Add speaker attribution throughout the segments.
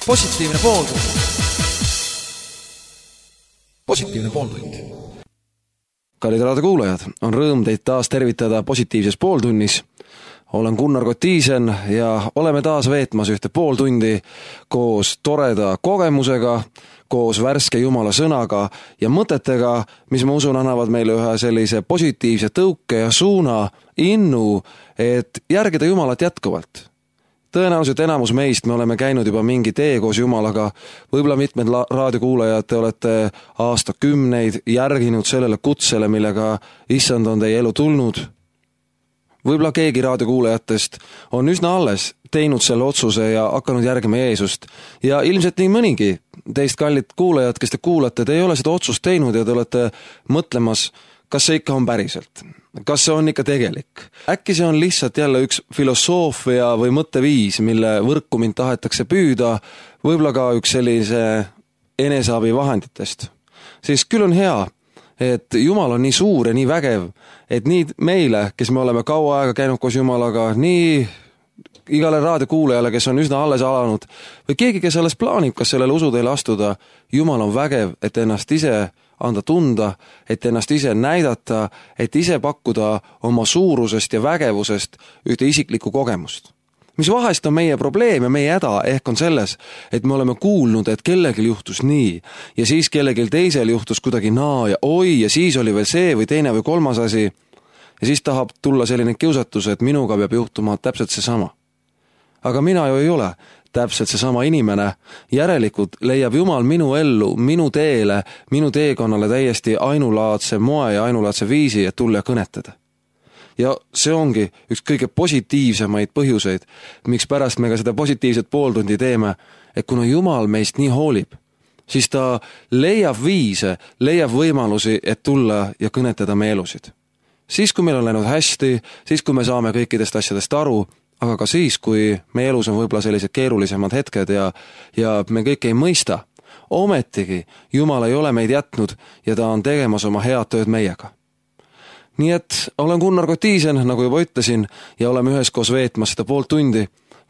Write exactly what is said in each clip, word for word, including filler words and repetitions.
Speaker 1: Positiivne pooltund. Positiivne pooltund.
Speaker 2: Kallid raadiokuulajad, on rõõm teid taas tervitada positiivses pooltunnis. Olen Gunnar Kotiisen ja oleme taas veetmas ühte pool tundi koos toreda kogemusega, koos värske Jumala sõnaga ja mõtetega, mis ma usun annavad meile ühe sellise positiivse tõuke ja suuna, innu, et järgida Jumalat jätkuvalt. Tõenäoliselt enamus meist me oleme käinud juba mingi tee koos Jumalaga, võib-olla mitmed raadiokuulajad te olete aastakümneid järginud sellele kutsele, millega issand on teie elu tulnud. Võib-olla keegi raadiokuulajatest on üsna alles teinud selle otsuse ja hakanud järgima Jeesust. Ja ilmselt nii mõnigi teist kallid kuulajad, kes te kuulate, te ei ole seda otsust teinud ja te olete mõtlemas, kas see ikka on päriselt. Kas see on ikka tegelik? Äkki see on lihtsalt jälle üks filosoofia või mõtteviis, mille võrku mind tahetakse püüda, võib-olla ka üks sellise eneseabi vahenditest. Siis küll on hea, et Jumal on nii suur ja nii vägev, et nii meile, kes me oleme kaua aega käinud koos Jumalaga, nii igale raadiokuulajale, kes on üsna alles alanud, või keegi, kes alles plaanib, kas sellele usuteele astuda, Jumal on vägev, et ennast ise anda tunda, et ennast ise näidata, et ise pakkuda oma suurusest ja vägevusest ühte isiklikku kogemust. Mis vahest on meie probleem ja meie häda ehk on selles, et me oleme kuulnud, et kellelgi juhtus nii ja siis kellelgi teisel juhtus kuidagi naa ja oi ja siis oli veel see või teine või kolmas asi ja siis tahab tulla selline kiusatus, et minuga peab juhtuma täpselt seesama. Aga mina ju ei ole täpselt seesama inimene, järelikult leiab Jumal minu ellu, minu teele, minu teekonnale täiesti ainulaadse moe ja ainulaadse viisi, et tulla ja kõnetada. Ja see ongi üks kõige positiivsemaid põhjuseid, miks pärast me ka seda positiivset pooltundi teeme, et kuna Jumal meist nii hoolib, siis ta leiab viise, leiab võimalusi, et tulla ja kõnetada meie elusid. Siis, kui meil on läinud hästi, siis, kui me saame kõikidest asjadest aru, aga ka siis, kui meie elus on võib-olla sellised keerulisemad hetked ja, ja me kõik ei mõista, ometigi Jumal ei ole meid jätnud ja ta on tegemas oma head tööd meiega. Nii et olen Gunnar Kotiisen, nagu juba ütlesin, ja oleme üheskoos veetmas seda poolt tundi.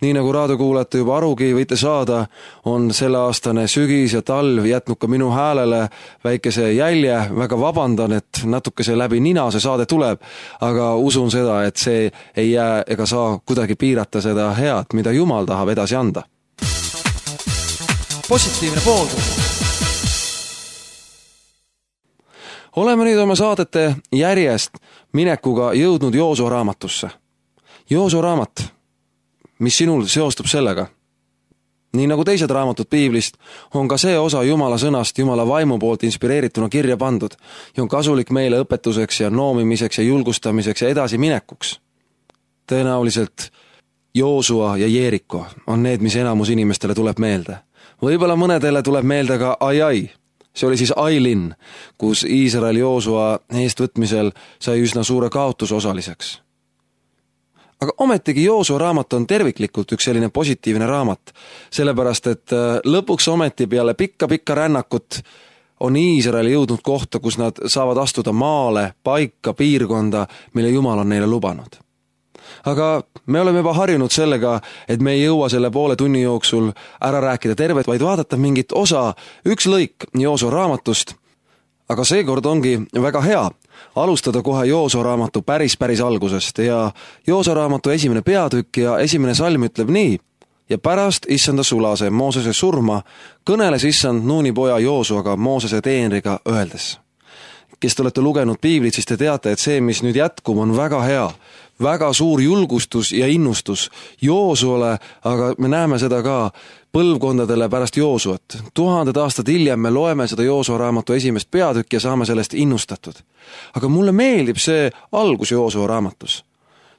Speaker 2: Nii nagu raadiokuulajate juba arugi võite saada, on selle aastane sügis ja talv jätnud ka minu häälele väikese jälje. Väga vabandan, et natuke see läbi nina see saade tuleb, aga usun seda, et see ei jää ega saa kuidagi piirata seda head, mida Jumal tahab edasi anda.
Speaker 1: Positiivne pooltund.
Speaker 2: Oleme nüüd oma saadete järjest minekuga jõudnud Joosua raamatusse. Joosua raamat, mis sinul seostub sellega. Nii nagu teised raamatud piiblist, on ka see osa Jumala sõnast Jumala vaimu poolt inspireerituna kirja pandud ja on kasulik meile õpetuseks ja noomimiseks ja julgustamiseks ja edasi minekuks. Tõenäoliselt Joosua ja Jeeriko on need, mis enamus inimestele tuleb meelde. Võib-olla mõnedele tuleb meelde ka Ai-Ai. See oli siis Ai-linn, kus Iisrael Joosua eestvõtmisel sai üsna suure kaotus osaliseks. Aga ometigi Joosua raamat on terviklikult üks selline positiivne raamat, sellepärast et lõpuks ometi peale pikka-pikka rännakut on Iisrael jõudnud kohta, kus nad saavad astuda maale, paika, piirkonda, mille Jumal on neile lubanud. Aga me oleme juba harjunud sellega, et me ei jõua selle poole tunni jooksul ära rääkida tervet, vaid vaadata mingit osa, üks lõik Joosua raamatust. Aga seekord ongi väga hea alustada kohe Joosua raamatu päris päris algusest ja Joosua raamatu esimene peatükk ja esimene salm ütleb nii: ja pärast issanda sulase Moosese surma kõneles issand Nuuni poja Joosuaga Moosese teenriga öeldes. Kes te olete lugenud piiblit, siis te teate, et see, mis nüüd jätkub, on väga hea, väga suur julgustus ja innustus Joosuale, aga me näeme seda ka põlvkondadele pärast Joosuat. Tuhanded aastad hiljem me loeme seda Joosua raamatu esimest peatükki ja saame sellest innustatud. Aga mulle meeldib see algus Joosua raamatus.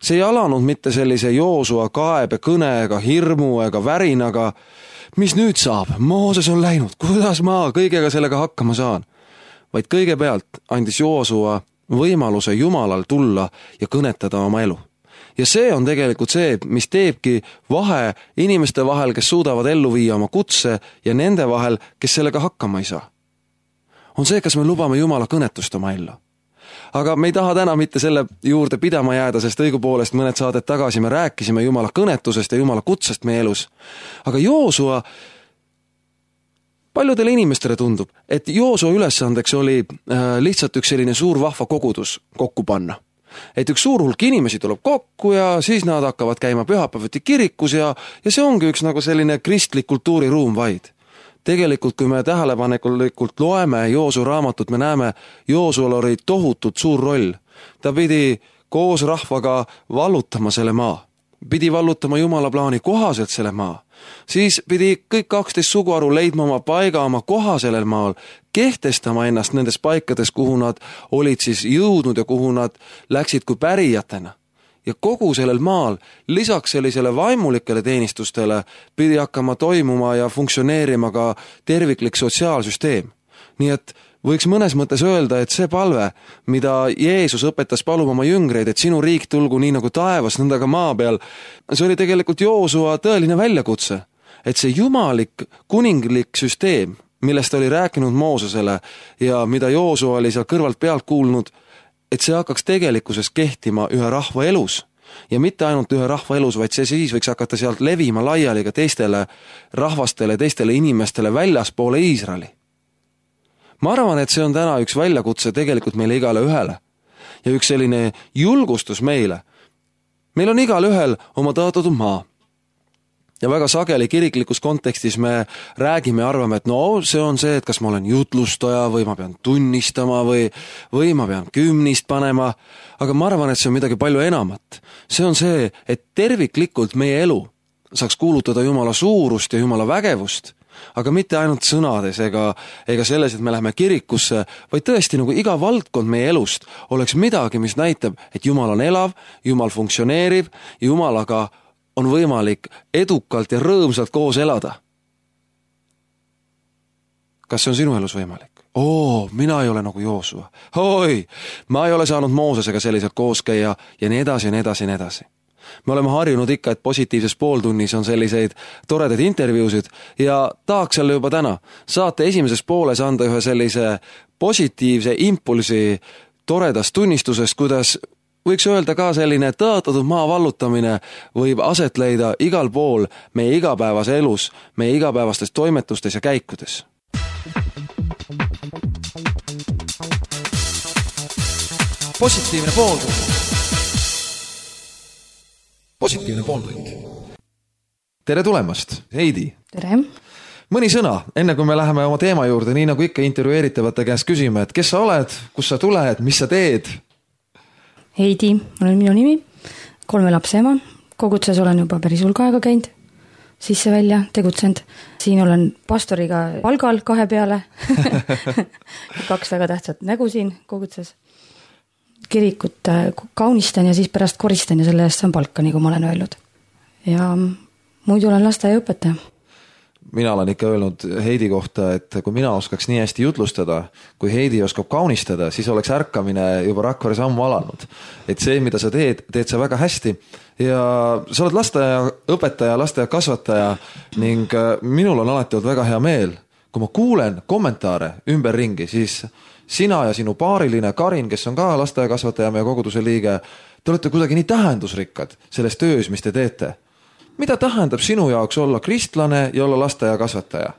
Speaker 2: See ei alanud mitte sellise Joosua kaebe kõne ega hirmu ega värinaga. Mis nüüd saab? Mooses on läinud. Kuidas ma kõigega sellega hakkama saan? Vaid kõigepealt andis Joosua võimaluse Jumalal tulla ja kõnetada oma elu. Ja see on tegelikult see, mis teebki vahe inimeste vahel, kes suudavad ellu viia oma kutse ja nende vahel, kes sellega hakkama ei saa. On see, kas me lubame Jumala kõnetust oma ellu. aga me ei taha täna mitte selle juurde pidama jääda, sest õigupoolest mõned saadet tagasi me rääkisime Jumala kõnetusest ja Jumala kutsest meie elus. Aga Joosua, paljudele inimestele tundub, et Joosua ülesandeks oli lihtsalt üks selline suur vahva kogudus kokku panna. Et üks suur hulk inimesi tuleb kokku ja siis nad hakkavad käima pühapäevati kirikus ja, ja see ongi üks nagu selline kristlik kultuuriruum vaid. Tegelikult, kui me tähelepanelikult loeme Joosua raamatut, me näeme, Joosual oli tohutult suur roll. Ta pidi koos rahvaga vallutama selle maa. Pidi vallutama Jumala plaani kohaselt selle maa. Siis pidi kõik kaksteist suguharu leidma oma paiga, oma koha sellel maal, kehtestama ennast nendes paikades, kuhu nad olid siis jõudnud ja kuhu nad läksid kui pärijatena. Ja kogu sellel maal, lisaks sellisele vaimulikele teenistustele, pidi hakkama toimuma ja funktsioneerima ka terviklik sotsiaalsüsteem. Nii et võiks mõnes mõttes öelda, et see palve, mida Jeesus õpetas paluma oma jüngreid, et sinu riik tulgu nii nagu taevas, nõnda ka maa peal, see oli tegelikult Joosua tõeline väljakutse. Et see jumalik kuninglik süsteem, millest oli rääkinud Moosesele ja mida Joosua oli seal kõrvalt pealt kuulnud, et see hakkaks tegelikkuses kehtima ühe rahva elus. Ja mitte ainult ühe rahva elus, vaid see siis võiks hakata sealt levima laiali ka teistele rahvastele, teistele inimestele väljaspoole Iisraeli. Ma arvan, et see on täna üks väljakutse tegelikult meile igale ühele. Ja üks selline julgustus meile. Meil on igal ühel oma tõotatud maa. Ja väga sageli kiriklikus kontekstis me räägime ja arvame, et no see on see, et kas ma olen jutlustaja või ma pean tunnistama või, või ma pean kümnist panema. Aga ma arvan, et see on midagi palju enamat. See on see, et terviklikult meie elu saaks kuulutada Jumala suurust ja Jumala vägevust. Aga mitte ainult sõnades ega, ega selles, et me läheme kirikusse, vaid tõesti nagu iga valdkond meie elust oleks midagi, mis näitab, et Jumal on elav, Jumal funktsioneerib ja Jumalaga on võimalik edukalt ja rõõmsalt koos elada. Kas see on sinu elus võimalik? Oo, mina ei ole nagu Joosua. Oi, ma ei ole saanud Moosesega selliselt koos käia ja nii edasi, nii edasi, nii edasi. Me oleme harjunud ikka, et positiivses pooltunnis on selliseid toredaid intervjuusid ja tahaks jälle juba täna saate esimeses pooles anda ühe sellise positiivse impulsi toredast tunnistusest, kuidas võiks öelda ka selline tõotatud maa vallutamine võib aset leida igal pool meie igapäevase elus, meie igapäevastes toimetustes ja käikudes.
Speaker 1: Positiivne pooltund. Positiivne pooltund.
Speaker 2: Tere tulemast, Heidi.
Speaker 3: Tere.
Speaker 2: Mõni sõna, enne kui me läheme oma teema juurde, nii nagu ikka intervjueeritavate käest küsime, et kes sa oled, kus sa tuled, mis sa teed?
Speaker 3: Heidi, olen minu nimi, kolme lapse ema, kogudses olen juba päris hulga aega käinud, sisse välja tegutsend. Siin olen pastoriga palgal kahe peale, kaks väga tähtsat nägu siin kogudses. Kirikut kaunistan ja siis pärast koristan ja selle eest saan palka, nagu ma olen öelnud. Ja muidu olen lasteaiaõpetaja.
Speaker 2: Mina olen ikka öelnud Heidi kohta, et kui mina oskaks nii hästi jutlustada, kui Heidi oskab kaunistada, siis oleks ärkamine juba Rakvere sammu alanud. Et see, mida sa teed, teed sa väga hästi. Ja sa oled lasteaiaõpetaja, lasteaiakasvataja ning minul on alati olnud väga hea meel. Kui ma kuulen kommentaare ümberringi, siis sina ja sinu paariline Karin, kes on ka lasteaiakasvataja meie koguduse liige, te olete kuidagi nii tähendusrikkad selles töös, mis te teete. Mida tähendab sinu jaoks olla kristlane ja olla lasteaiakasvataja?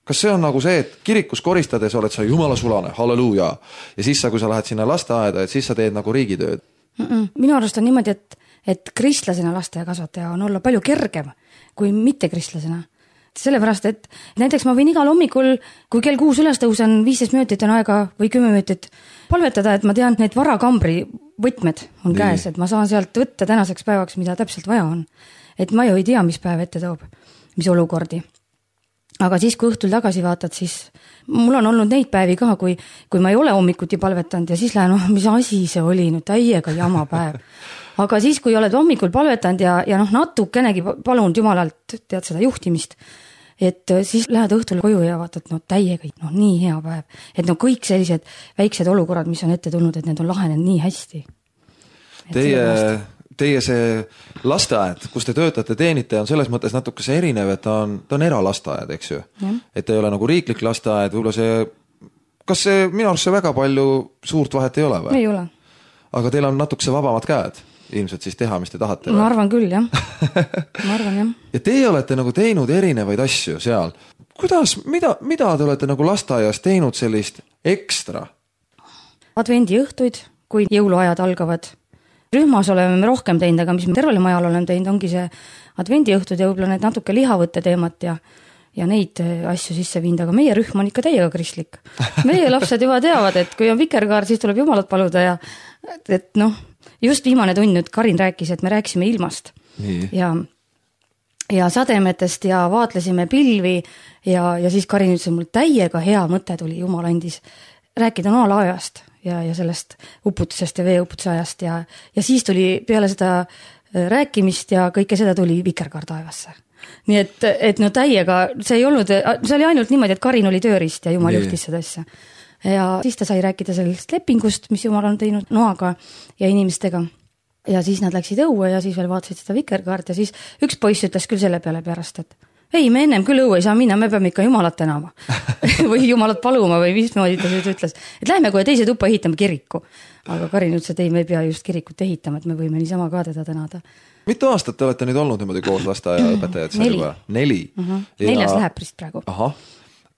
Speaker 2: Kas see on nagu see, et kirikus koristades oled sa Jumala sulane, halleluuja, ja siis sa, kui sa lähed sinna lasteaeda, et siis sa teed nagu riigitööd?
Speaker 3: Mm-mm. Minu arust on niimoodi, et, et kristlasena lasteaiakasvataja on olla palju kergem kui mitte kristlasena. Sellepärast, et näiteks ma võin igal hommikul, kui kell kuus üles tõusen, viisteist minutit on aega või kümme minutit palvetada, et ma tean, et need varakambri võtmed on käes, et ma saan sealt võtta tänaseks päevaks, mida täpselt vaja on. Et ma ju ei tea, mis päev ette toob, mis olukordi. Aga siis, kui õhtul tagasi vaatad, siis mul on olnud neid päevi ka, kui, kui ma ei ole hommikuti palvetanud ja siis lähen, oh, mis asi see oli, nüüd täiega jama päev. Aga siis, kui oled hommikul palvetanud ja, ja noh, natukenegi palunud Jumalalt, tead seda juhtimist, et siis lähed õhtul koju ja vaatad, no täiega, no nii hea päev. Et no kõik sellised väiksed olukorrad, mis on ette tulnud, et need on lahenenud nii hästi.
Speaker 2: Teie, teie see lasteaed, kus te töötate, teenite, on selles mõttes natuke see erinev, et ta on, ta on eralasteaed, eks ju. Ja. Et ta ei ole nagu riiklik lasteaed, võib-olla see kas see minu arust see väga palju suurt vahet ei ole või?
Speaker 3: Ei ole.
Speaker 2: Aga teil on natukese vabamad käed ilmselt siis teha, mis te tahate?
Speaker 3: Ma arvan küll, jah. Ma arvan, jah.
Speaker 2: Ja teie olete nagu teinud erinevaid asju seal. Kuidas, mida, mida te olete nagu lasteaias teinud sellist ekstra?
Speaker 3: Advendi õhtuid, kui jõuluajad algavad. Rühmas oleme me rohkem teinud, aga mis me tervele majal oleme teinud, ongi see advendi õhtud ja võib-olla need natuke lihavõtte teemat ja ja neid asju sisse viinud, aga meie rühm on ikka täiega kristlik. Meie lapsed juba teavad, et kui on vikerkaar, siis tuleb jumalat paluda ja et noh, just viimane tund nüüd Karin rääkis, et me rääkisime ilmast
Speaker 2: Nii.
Speaker 3: ja, ja sademetest ja vaatlesime pilvi ja, ja siis Karin ütles, mul täiega hea mõte tuli, jumal andis rääkida noalaajast ja, ja sellest uputusest ja veeuputuse ajast ja, ja siis tuli peale seda rääkimist ja kõike seda tuli vikerkaar taevasse. Nii et, et no täiega, see ei olnud, see oli ainult niimoodi, et Karin oli töörist ja jumal juhtis seda asja. Ja siis ta sai rääkida sellest lepingust, mis jumal on teinud noaga ja inimestega. Ja siis nad läksid õue ja siis veel vaatasid seda vikerkaart ja siis üks poiss ütles küll selle peale pärast, et ei, me ennem küll õue ei saa minna, me peame ikka jumalat tänama või jumalat paluma või mismoodi ta nüüd ütles, et lähme kohe teise tuppa ehitame kiriku. Aga Karin ütles, et ei, me ei pea just kirikut ehitama, et me võime niisama ka teda tänada.
Speaker 2: Mitu aastat te olete nüüd olnud niimoodi koos lasteaia õpetajad?
Speaker 3: Neli.
Speaker 2: Neli.
Speaker 3: Uh-huh. Neljas läheb prist praegu.
Speaker 2: Aha.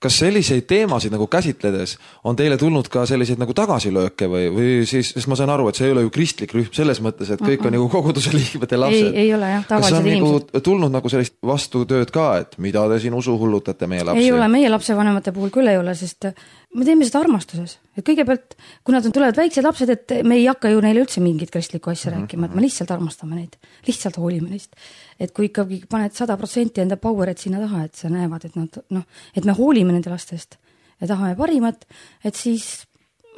Speaker 2: Kas selliseid teemasid nagu käsitledes on teile tulnud ka selliseid nagu tagasilööke või, või siis, sest ma saan aru, et see ei ole ju kristlik rühm selles mõttes, et kõik uh-uh. on nagu koguduse liikmete lapsed.
Speaker 3: Ei, ei ole jah, tavalised
Speaker 2: inimesed. Kas on
Speaker 3: inimesed.
Speaker 2: nagu tulnud nagu sellist vastutööd ka, et mida te siin usu hullutate meie lapsi?
Speaker 3: Ei ole, meie lapsevanemate puhul küll ei ole, sest me teeme seda armastuses. Et kõigepealt, kui nad on tulevad väiksed lapsed, et me ei hakka ju neile üldse mingit kristlikku asja mm-hmm. rääkima, et me lihtsalt armastame neid, lihtsalt hoolime neist. Et kui ikkagi paned sada protsenti enda powerit sinna taha, et sa näevad, et, nad, no, et me hoolime nende lastest ja tahame parimat, et siis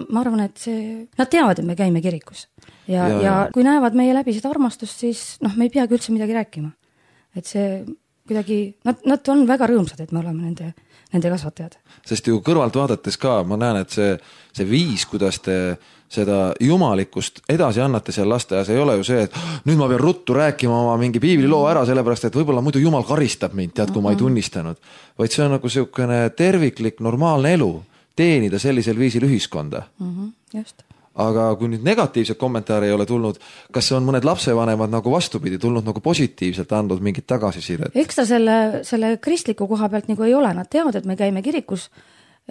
Speaker 3: ma arvan, et see, nad teavad, et me käime kirikus. Ja, ja, ja kui näevad meie läbi seda armastust, siis noh, me ei peagi üldse midagi rääkima. Et see kuidagi, nad, nad on väga rõõmsad, et me oleme nende, nende kasvatajad.
Speaker 2: Sest ju kõrvalt vaadates ka, ma näen, et see, see viis, kuidas te seda jumalikust edasi annate seal lasteaias, ei ole ju see, et nüüd ma pean ruttu rääkima oma mingi piibliloo ära, sellepärast, et võib-olla muidu jumal karistab mind, tead, kui ma ei tunnistanud. Vaid see on nagu selline terviklik, normaalne elu, teenida sellisel viisil ühiskonda.
Speaker 3: Mm-hmm, just.
Speaker 2: Aga kui nüüd negatiivset kommentaari ei ole tulnud, kas on mõned lapsevanemad nagu vastupidi tulnud nagu positiivselt andnud mingit tagasisidet?
Speaker 3: Eks ta selle, selle kristliku koha pealt nagu ei ole, nad teavad, et me käime kirikus,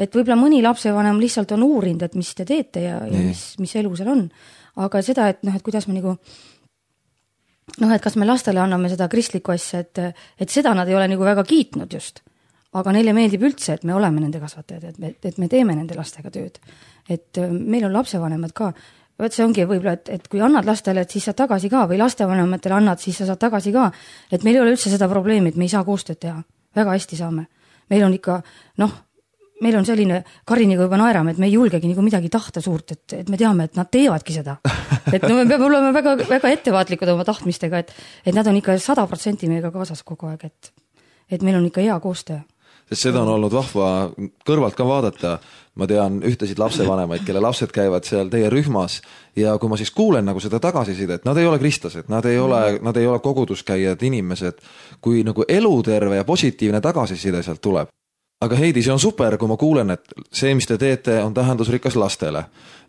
Speaker 3: et võib-olla mõni lapsevanem lihtsalt on uurinud, et mis te teete ja, ja mis, mis elu seal on. Aga seda, et noh, et kuidas me nagu noh, et kas me lastele anname seda kristlikku asja, et, et seda nad ei ole nagu väga kiitnud just. Aga neile meeldib üldse, et me oleme nende kasvatajad, et me, et me teeme nende lastega tööd. Et meil on lapsevanemad ka, võt see ongi võib-olla, et, et kui annad lastele, et siis saad tagasi ka või lastevanematele annad, siis sa saad tagasi ka. Et meil ei ole üldse seda probleemi, et me ei saa koostööd teha. Väga hästi saame. Meil on ikka, noh, meil on selline, Kariniga juba naerame, et me ei julgegi nagu midagi tahta suurt, et, et me teame, et nad teevadki seda. Et no me peame olema väga, väga ettevaatlikud oma tahtmistega, et, et nad on ikka sada protsenti meiega kaasas kogu aeg, et, et meil on ikka hea koostöö.
Speaker 2: Sest seda on olnud vahva kõrvalt ka vaadata. Ma tean ühtesid lapsevanemaid, kelle lapsed käivad seal teie rühmas ja kui ma siis kuulen nagu seda tagasisidet, nad ei ole kristlased, nad ei ole, nad ei ole koguduskäijad inimesed, kui nagu eluterve ja positiivne tagasiside sealt tuleb. Aga Heidi, see on super, kui ma kuulen, et see, mis te teete, on tähendusrikas lastele.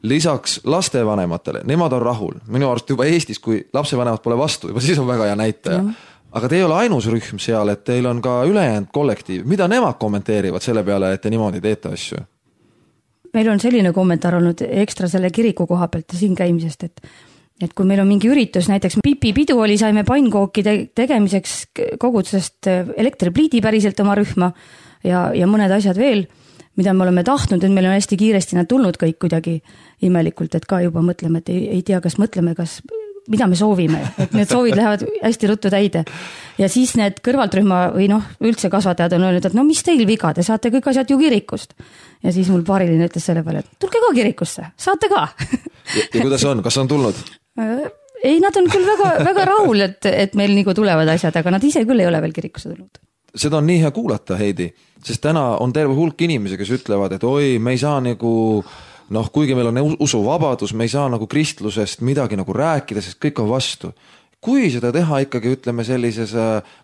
Speaker 2: Lisaks lastevanematele, nemad on rahul. Minu arust juba Eestis, kui lapsevanemad pole vastu, juba siis on väga hea näitaja. Mm. Aga te ei ole ainus rühm seal, et teil on ka ülejäänud kollektiiv. Mida nemad kommenteerivad selle peale, et te niimoodi teete asju?
Speaker 3: Meil on selline kommentaar olnud ekstra selle kiriku koha pealt ja siin käimisest, et, et kui meil on mingi üritus, näiteks Pipi pidu oli, saime pannkooki te- tegemiseks kogudusest elektripliidi päriselt oma rühma ja, ja mõned asjad veel, mida me oleme tahtnud, et meil on hästi kiiresti nad tulnud kõik kuidagi imelikult, et ka juba mõtleme, et ei, ei tea, kas mõtleme, kas mida me soovime, et need soovid lähevad hästi ruttu täide. Ja siis need kõrvaltrühma või noh, üldse kasvatajad on öelnud, et no mis teil viga, te saate kõik asjad ju kirikust. Ja siis mul paariline ütles selle peale, et tulge ka kirikusse, saate ka.
Speaker 2: ja, ja kuidas on, kas on tulnud?
Speaker 3: Ei, nad on küll väga, väga rahul, et, et meil nagu tulevad asjad, aga nad ise küll ei ole veel kirikusse tulnud.
Speaker 2: Seda on nii hea kuulata, Heidi, sest täna on terve hulk inimesi, kes ütlevad, et oi, me ei saa nagu noh, kuigi meil on usuvabadus, me ei saa nagu kristlusest midagi nagu rääkida, sest kõik on vastu. Kui seda teha ikkagi, ütleme, sellises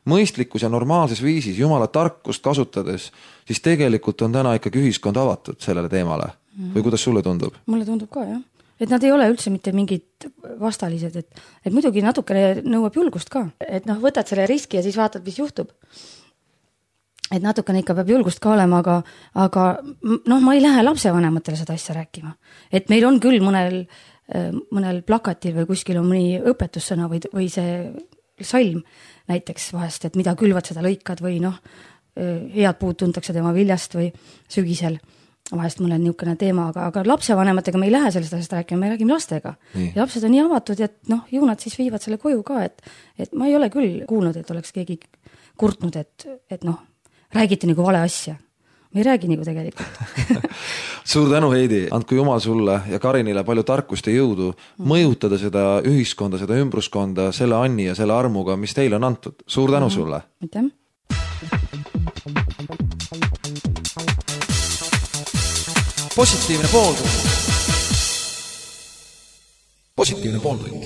Speaker 2: mõistlikus ja normaalses viisis, jumala tarkust kasutades, siis tegelikult on täna ikkagi ühiskond avatud sellele teemale. või kuidas sulle tundub?
Speaker 3: Mulle tundub ka, jah. Et nad ei ole üldse mitte mingid vastalised, et, et muidugi natukene nõuab julgust ka. Et noh, võtad selle riski ja siis vaatad, mis juhtub. Et natukene ikka peab julgust ka olema, aga, aga noh, ma ei lähe lapsevanematele seda asja rääkima. Et meil on küll mõnel, mõnel plakatil või kuskil on mõni õpetussõna või, või see salm näiteks vahest, et mida külvad, seda lõikad või noh, head puud tuntakse tema viljast või sügisel. Vahest mul on niisugune teema, aga, aga lapsevanematega me ei lähe sellest asjast rääkima, me räägime lastega. Nii. Ja lapsed on nii avatud, et noh, ju nad siis viivad selle koju ka, et, et ma ei ole küll kuulnud, et oleks keegi kurtnud, et, et noh, räägiti nagu vale asja. Me ei räägi nagu tegelikult.
Speaker 2: Suur tänu, Heidi. Andku Jumal sulle ja Karinile palju tarkust ja jõudu mõjutada seda ühiskonda, seda ümbruskonda selle anni ja selle armuga, mis teile on antud. Suur tänu sulle.
Speaker 3: Aitäh.
Speaker 1: Positiivne pooltund. Positiivne pooltund.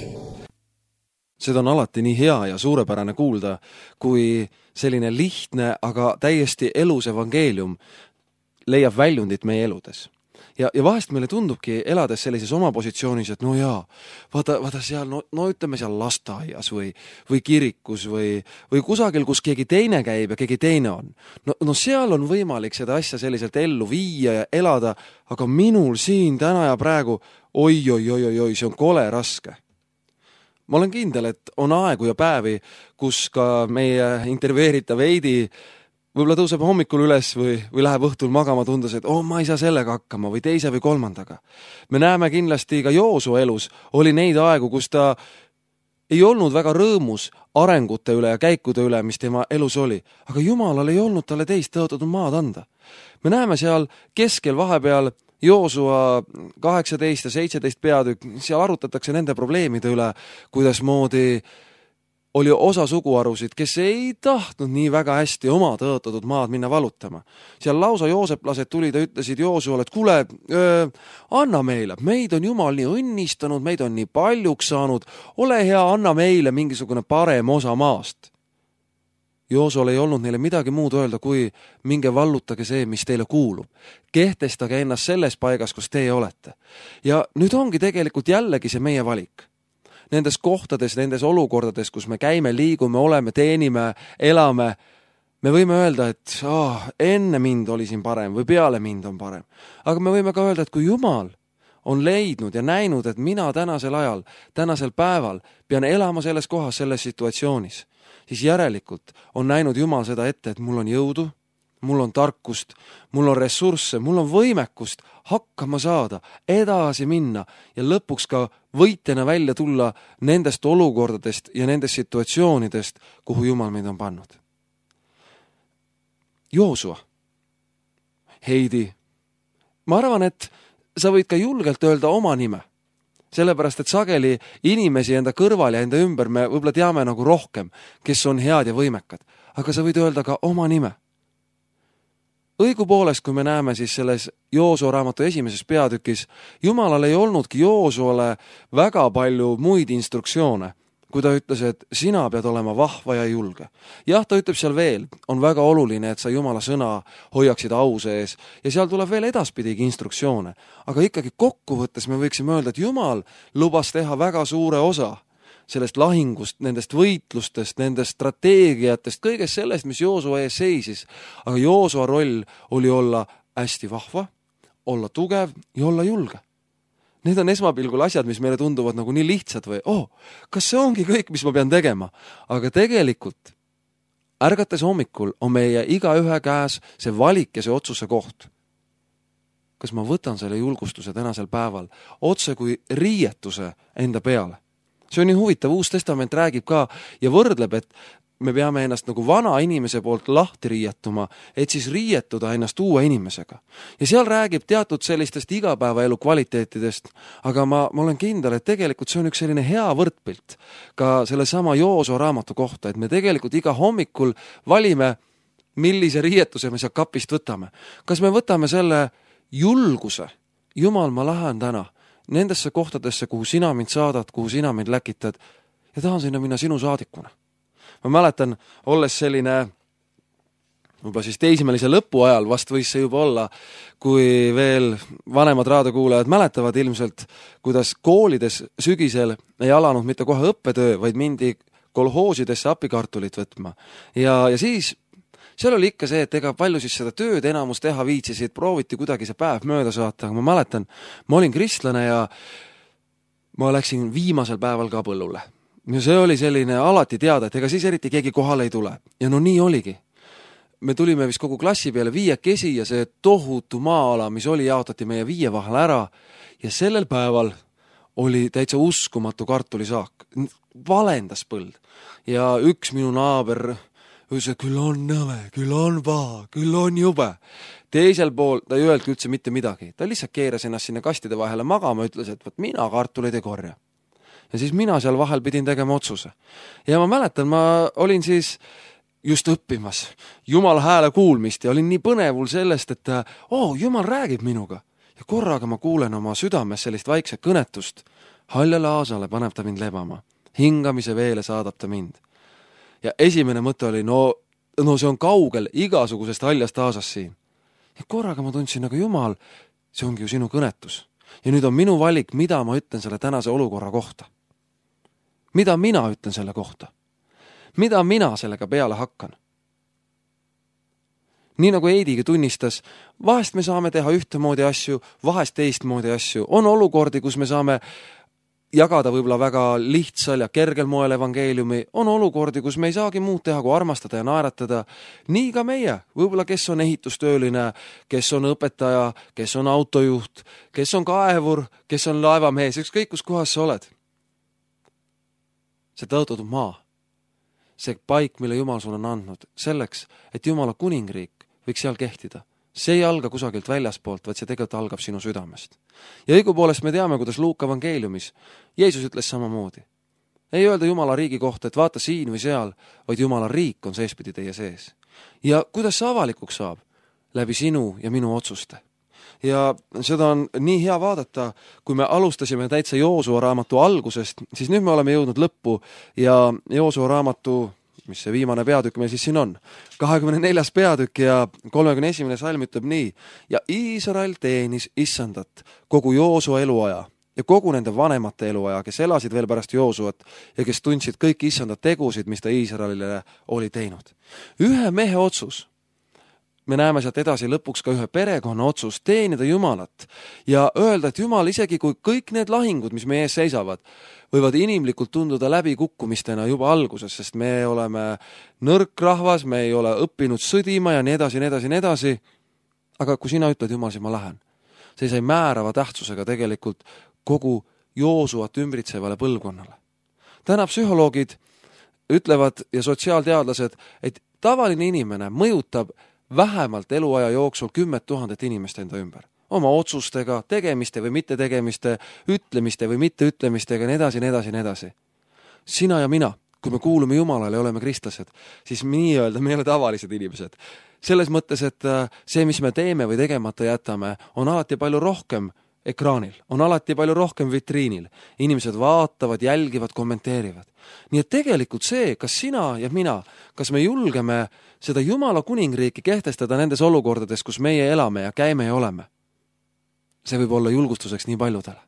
Speaker 2: Seda on alati nii hea ja suurepärane kuulda, kui selline lihtne, aga täiesti elus evangeelium leiab väljundit meie eludes. Ja, ja vahest meile tundubki elades sellises oma positsioonis, et no jaa, vaata, vaata seal, no, no ütleme seal lasteaias või, või kirikus või, või kusagil, kus keegi teine käib ja keegi teine on. No, no seal on võimalik seda asja selliselt ellu viia ja elada, aga minul siin täna ja praegu, oi, oi, oi, oi, oi, see on kole raske. Ma olen kindel, et on aegu ja päevi, kus ka meie intervjueeritav Heidi võib-olla tõuseb hommikul üles või, või läheb õhtul magama tundes, et oh, ma ei saa sellega hakkama või teise või kolmandaga. Me näeme kindlasti ka Joosu elus oli neid aegu, kus ta ei olnud väga rõõmus arengute üle ja käikude üle, mis tema elus oli. Aga Jumalal ei olnud talle teist tõotatud maad anda. Me näeme seal keskel vahepeal Joosua kaheksateist ja seitseteist peatükk, seal arutatakse nende probleemide üle, kuidas moodi oli osa suguharusid, kes ei tahtnud nii väga hästi oma tõotatud maad minna valutama. Seal lausa jooseplased tulid ja ütlesid Joosuale, et kuule, öö, anna meile, meid on Jumal nii õnnistanud, meid on nii paljuks saanud, ole hea, anna meile mingisugune parem osa maast. Joosual ei olnud neile midagi muud öelda, kui minge vallutage see, mis teile kuulub. Kehtestage ennast selles paigas, kus teie olete. Ja nüüd ongi tegelikult jällegi see meie valik. Nendes kohtades, nendes olukordades, kus me käime, liigume, oleme, teenime, elame, me võime öelda, et oh, enne mind oli siin parem või peale mind on parem. Aga me võime ka öelda, et kui Jumal on leidnud ja näinud, et mina tänasel ajal, tänasel päeval pean elama selles kohas, selles situatsioonis, siis järelikult on näinud Jumal seda ette, et mul on jõudu, mul on tarkust, mul on ressursse, mul on võimekust hakkama saada, edasi minna ja lõpuks ka võitjana välja tulla nendest olukordadest ja nendest situatsioonidest, kuhu Jumal meid on pannud. Joosua, Heidi, ma arvan, et sa võid ka julgelt öelda oma nime, sellepärast, et sageli inimesi enda kõrval ja enda ümber me võib-olla teame nagu rohkem, kes on head ja võimekad, aga sa võid öelda ka oma nime. Õigupoolest, kui me näeme siis selles Joosua raamatu esimeses peatükis, Jumalal ei olnudki Joosuale väga palju muid instruktsioone, kui ta ütles, et sina pead olema vahva ja julge. Jah, ta ütleb seal veel, on väga oluline, et sa Jumala sõna hoiaksid au sees ja seal tuleb veel edaspidigi instruktsioone. Aga ikkagi kokkuvõttes me võiksime öelda, et Jumal lubas teha väga suure osa sellest lahingust, nendest võitlustest, nendest strateegiatest, kõigest sellest, mis Joosua ees seisis. Aga Joosua roll oli olla hästi vahva, olla tugev ja olla julge. Need on esmapilgul asjad, mis meile tunduvad nagu nii lihtsad või, oh, kas see ongi kõik, mis ma pean tegema? Aga tegelikult, ärgates hommikul on meie iga ühe käes see valik ja see otsuse koht. Kas ma võtan selle julgustuse tänasel päeval otse kui riietuse enda peale? See on nii huvitav, Uus Testament räägib ka ja võrdleb, et me peame ennast nagu vana inimese poolt lahti riietuma, et siis riietuda ennast uue inimesega. Ja seal räägib teatud sellistest igapäevaelu kvaliteetidest, aga ma, ma olen kindel, et tegelikult see on üks selline hea võrdpilt ka selle sama Joosua raamatu kohta, et me tegelikult iga hommikul valime, millise riietuse me seal kapist võtame. Kas me võtame selle julguse, Jumal, ma lähen täna nendesse kohtadesse, kuhu sina mind saadad, kuhu sina mind läkitad ja tahan sinna minna sinu saadikuna. Ma mäletan, olles selline võib-olla siis teismelise lõpu ajal vast võis see juba olla, kui veel vanemad raadiokuulajad mäletavad ilmselt, kuidas koolides sügisel ei alanud mitte kohe õppetöö, vaid mindi kolhoosidesse apikartulit võtma. Ja, ja siis seal oli ikka see, et ega palju siis seda tööd enamus teha viitsisid, prooviti kuidagi see päev mööda saata, aga ma mäletan, ma olin kristlane ja ma läksin viimasel päeval ka põllule. Ja see oli selline alati teada, et ega siis eriti keegi kohale ei tule. Ja no nii oligi. Me tulime vist kogu klassi peale viiekesi ja see tohutu maa-ala, mis oli, jaotati meie viie vahel ära ja sellel päeval oli täitsa uskumatu kartulisaak. Valendas põld. Ja üks minu naaber ütles, et küll on nõme, küll on paha, küll on jube. Teisel pool ta ei öeldki üldse mitte midagi. Ta lihtsalt keeras ennast sinna kastide vahele magama, ütles, et võt mina kartuleid ei korja. Ja siis mina seal vahel pidin tegema otsuse. Ja ma mäletan, ma olin siis just õppimas Jumala hääle kuulmist ja olin nii põnevul sellest, et oo, Jumal räägib minuga. Ja korraga ma kuulen oma südames sellist vaikset kõnetust. Haljale aasale paneb ta mind lebama. Hingamise veele saadab ta mind. Ja esimene mõte oli, no, no see on kaugel igasugusest haljast aasast siin. Ja korraga ma tundsin, aga Jumal, see ongi ju sinu kõnetus. Ja nüüd on minu valik, mida ma ütlen selle tänase olukorra kohta. Mida mina ütlen selle kohta? Mida mina sellega peale hakkan? Nii nagu Eidigi tunnistas, vahest me saame teha ühtemoodi asju, vahest teistmoodi asju. On olukordi, kus me saame jagada võib-olla väga lihtsal ja kergel moel evangeeliumi. On olukordi, kus me ei saagi muud teha, kui armastada ja naeratada. Nii ka meie, võib-olla kes on ehitustööline, kes on õpetaja, kes on autojuht, kes on kaevur, kes on laevamees, ükskõik kus kohas sa oled. See tõotatud maa, see paik, mille Jumal sul on andnud, selleks, et Jumala kuningriik võiks seal kehtida. See ei alga kusagilt väljaspoolt, vaid see tegelikult algab sinu südamest. Ja õigupoolest me teame, kuidas Luuka evangeeliumis Jeesus ütles samamoodi. Ei öelda Jumala riigi kohta, et vaata siin või seal, vaid Jumala riik on seespidi teie sees. Ja kuidas see avalikuks saab? Läbi sinu ja minu otsuste. Ja seda on nii hea vaadata, kui me alustasime täitsa Joosua raamatu algusest, siis nüüd me oleme jõudnud lõppu ja Joosua raamatu, mis see viimane peatükk meil siis siin on, kahekümne neljas peatükk ja kolmekümne esimene salm ütleb nii. Ja Iisrael teenis issandat kogu Joosua eluaja ja kogu nende vanemate eluaja, kes elasid veel pärast Joosuat ja kes tundsid kõik issandat tegusid, mis ta Iisraelile oli teinud. Ühe mehe otsus. Me näeme sealt edasi lõpuks ka ühe perekonna otsus teenida Jumalat ja öelda, et Jumal, isegi kui kõik need lahingud, mis meie ees seisavad, võivad inimlikult tunduda läbi kukkumistena juba alguses, sest me oleme nõrk rahvas, me ei ole õppinud sõdima ja nii edasi, nii edasi, nii edasi. Aga kui sina ütled, Jumal, siis ma lähen. See sai määrava tähtsusega tegelikult kogu Joosuat ümbritsevale põlvkonnale. Täna psühholoogid ütlevad ja sotsiaalteadlased, et tavaline inimene mõjutab vähemalt eluaja jooksul kümmet tuhandet inimest enda ümber. Oma otsustega, tegemiste või mitte tegemiste, ütlemiste või mitte ütlemistega, nii edasi, nii edasi, nii edasi. Sina ja mina, kui me kuulume Jumalale ja oleme kristlased, siis nii öelda me ei ole tavalised inimesed. Selles mõttes, et see, mis me teeme või tegemata jätame, on alati palju rohkem ekraanil, on alati palju rohkem vitriinil. Inimesed vaatavad, jälgivad, kommenteerivad. Nii et tegelikult see, kas sina ja mina, kas me julgeme seda Jumala kuningriiki kehtestada nendes olukordades, kus meie elame ja käime ja oleme, see võib olla julgustuseks nii paljudele.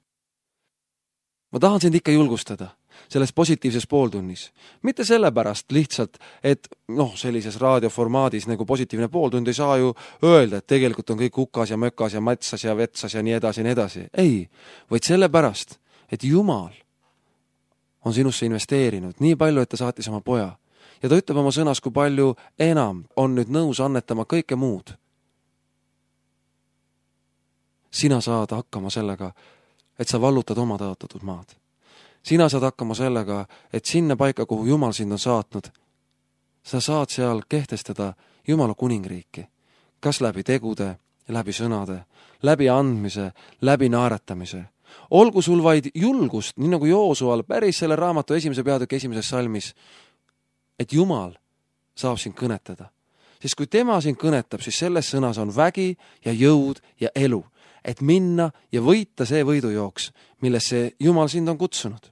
Speaker 2: Ma tahan sind ikka julgustada selles positiivses pooltunnis. Mitte sellepärast lihtsalt, et noh, sellises raadioformaadis nagu positiivne pooltund ei saa ju öelda, et tegelikult on kõik hukas ja mökas ja matsas ja vetsas ja nii edasi, nii edasi. Ei, vaid sellepärast, et Jumal on sinusse investeerinud nii palju, et ta saatis oma poja. Ja ta ütleb oma sõnas, kui palju enam on nüüd nõus annetama kõike muud. Sina saad hakkama sellega, et sa vallutad oma tõotatud maad. Sina saad hakkama sellega, et sinna paika, kuhu Jumal sind on saatnud, sa saad seal kehtestada Jumala kuningriiki. Kas läbi tegude, läbi sõnade, läbi andmise, läbi naeratamise. Olgu sul vaid julgust, nii nagu Joosual päris selle raamatu esimese peatüki esimeses salmis, et Jumal saab sind kõnetada. Siis kui tema sind kõnetab, siis selles sõnas on vägi ja jõud ja elu, et minna ja võita see võidujooks, millesse Jumal sind on kutsunud.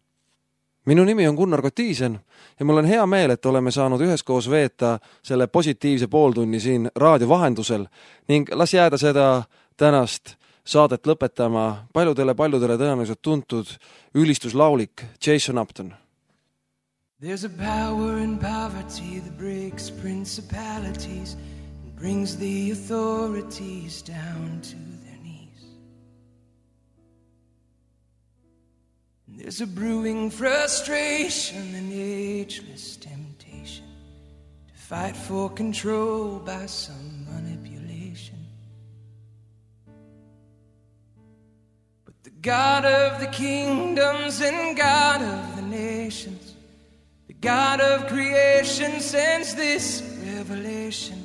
Speaker 2: minu nimi on Gunnar Kotiisen ja mul on hea meel, et oleme saanud üheskoos veeta selle positiivse pooltunni siin raadio vahendusel ning las jääda seda tänast saadet lõpetama paljudele-paljudele tõenäoliselt tuntud ülistuslaulik Jason Upton.
Speaker 4: There's a power in poverty that breaks principalities and brings the authorities down to their knees. And there's a brewing frustration and ageless temptation to fight for control by some manipulation. But the God of the kingdoms and God of the nations, God of creation, sends this revelation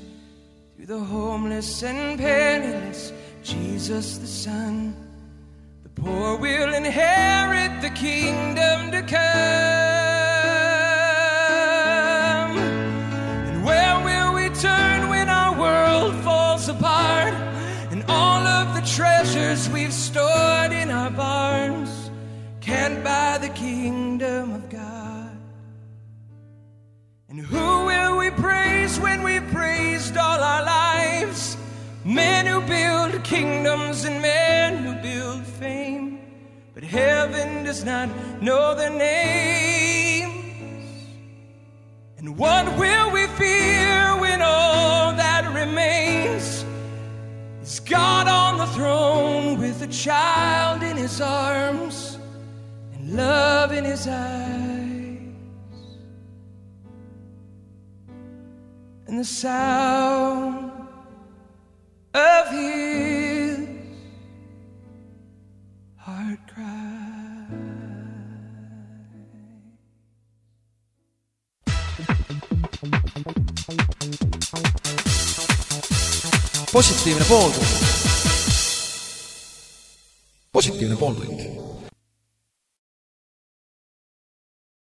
Speaker 4: through the homeless and penniless, Jesus the Son. The poor will inherit the kingdom to come. And where will we turn when our world falls apart and all of the treasures we've stored in our barns can't buy the kingdom of God? And who will we praise when we've praised all our lives? Men who build kingdoms and men who build fame, but heaven does not know their names. And what will we fear when all that remains is God on the throne with a child in his arms and love in his eyes? And the sound of his heart cry.
Speaker 1: Positiivne pooltund. Positiivne pooltund.